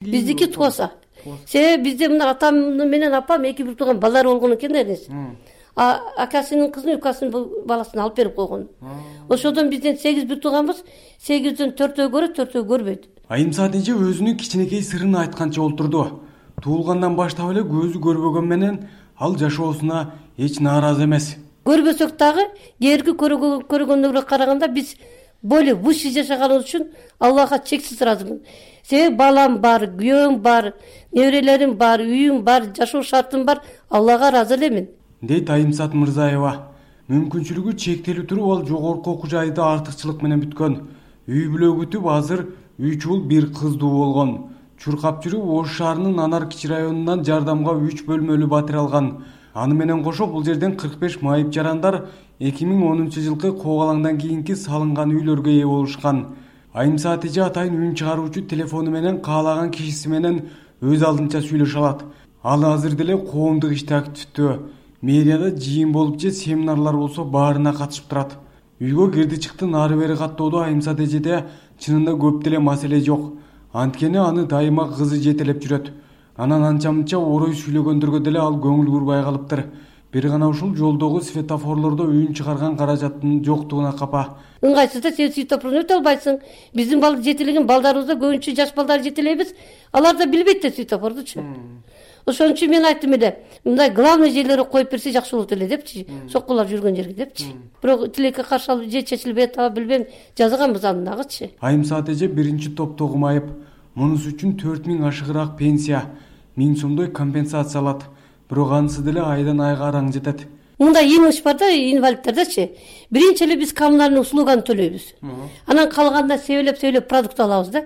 Биздики тууса. Себеби бизде мына атам менен апам эки бир тууган балдар болгон экен да энеси. Акасынын кызын, укасынын баласын алып берип койгон. Ошодон бизден 8 бир тууганбыз. 8ден 4өө көрөт, 4өө көрбөйт. Айымсаат эже өзүнүн кичинекей сырын айтканча олтурду. Туулгандан баштап эле көзү көрбөгөн менен ал жашоосуна эч нааразы эмес. Көрбөсөк дагы кээерки көргөндөргө караганда биз более выше жашаганыбыз үчүн Аллахка чексиз ыраазымын. Себеби балам бар, күйөөм бар, неберелерим бар, үйүм бар, жашоо шартым бар. Аллага ыраазы элемин. Дейт Айымсаат Мырзаева. Мүмкүнчүлүгү чектелип туруп ал жогорку окуу жайды артыкчылык менен бүткөн. Үй бүлө күтүп азыр 3 уул 1 кыздуу болгон. Чуркап жүрүп Ош шаарынын Анар кичи районунан жардамга 3 бөлмөлүү батир алган. Аны менен кошо бул жерден 45 майып жарандар 2010-жылкы коогалаңдан кийинки салынган үйлөргө ээ болушкан. Айымсаат эже атайын үн чыгаруучу телефону менен каалаган кишиси менен өз алдынча сүйлөшө алат. Ал азыр деле коомдук иште активдүү. Мэрияда жыйын болуп же семинарлар болсо баарына катышып турат. Үйгө кирди чыкты нары бери каттоодо Айымсаат эжеде чынында көп деле маселе жок. Анткени аны дайыма кызы жетелеп жүрөт. Анан анча-мынча орой сүйлөгөндөргө деле ал көңүл бурбай калыптыр. Бир гана ушул жолдогу светофорлордо үн чыгарган каражаттын жоктугуна капа. Ыңгайсызда сен светофорду өтө албайсың. Биздин жетелеген балдарыбызда көбүнчө жаш балдар жетелейбиз. Алар да билбейт да светофордучу. Ошон үчүн мен айттым эле, мындай главный жерлерге коюп берсе жакшы болот эле депчи. Соккулар жүргөн жерге депчи. Бирок тилекке каршы алып же чечилбей атабы билбейм, жазганбыз аны дагычы. Айымсаат эже биринчи топтогу майып. Мунусу үчүн 4000 ашыгыраак пенсия, 1000 сомдой компенсация алат. Бирок анысы деле айдан айга араң жетет. Мындай имиш бар да, инвалидтердечи. Биринчи эле биз коммунальный услуганы төлөйбүз. Анан калганда себелеп продукт алабыз да.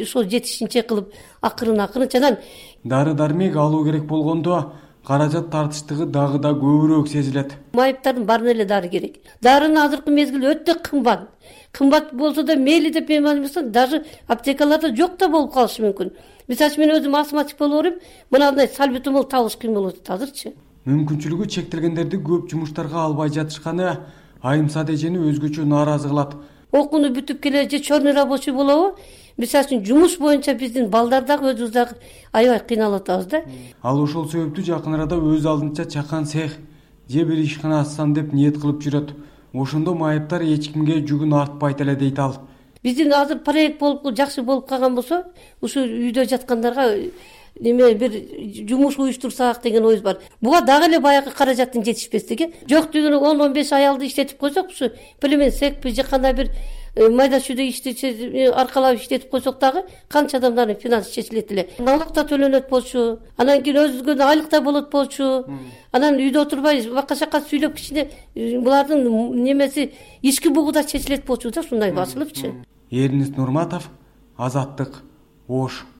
Ошол жетишинче кылып акырын анан дары-дармек алуу керек болгондо каражат тартыштыгы дагы да көбүрөөк сезилет. Майыптардын баарына эле дары керек. Дарынын азыркы мезгили өтө кымбат. Кымбат болсо да мейли деп мен айтмасам, даже аптекаларда жок да болуп калышы мүмкүн. Мисалы мен өзүм астматик болуп берем, мындай сальбутамол табыш кыйын болот азырчы. Мүмкүнчүлүгү чектелгендерди көп жумуштарга албай жатышканы Айымсаат эжени өзгөчө нааразы кылат. Окууну бүтүп келе же чорный рабочий болобу? Мисалы үчүн жумуш боюнча биздин балдар дагы өзүбүз дагы аябай кыйналып атабыз да. Ал ошол себептүү жакын арада өз алдынча чакан цех же бир ишкана ачсам деп ниет кылып жүрөт. Ошондо майыптар эч кимге жүгүн артпайт эле дейт ал. Биздин азыр проект болуп жакшы болуп калган болсо, ушу үйдө жаткандарга неме бир жумуш уюштурсак деген оюбуз бар. Буга дагы эле баягы каражаттын жетишпестиги. Жок дегенде 10-15 аялды иштетип койсок, ушу племен секпи же кандай бир майда чүйдө ишти аркалап иштетип койсок дагы канча адамдардын финансы чечилет эле. Налог да төлөнөт болчу, анан кийин өзүбүзгө айлык да болот болчу. Анан үйдө отурбай бака-шака сүйлөп кичине булардын немеси ички бугу да чечилет болчу да, ушундай басылыпчы. Эрнис Нурматов, Азаттык, Ош.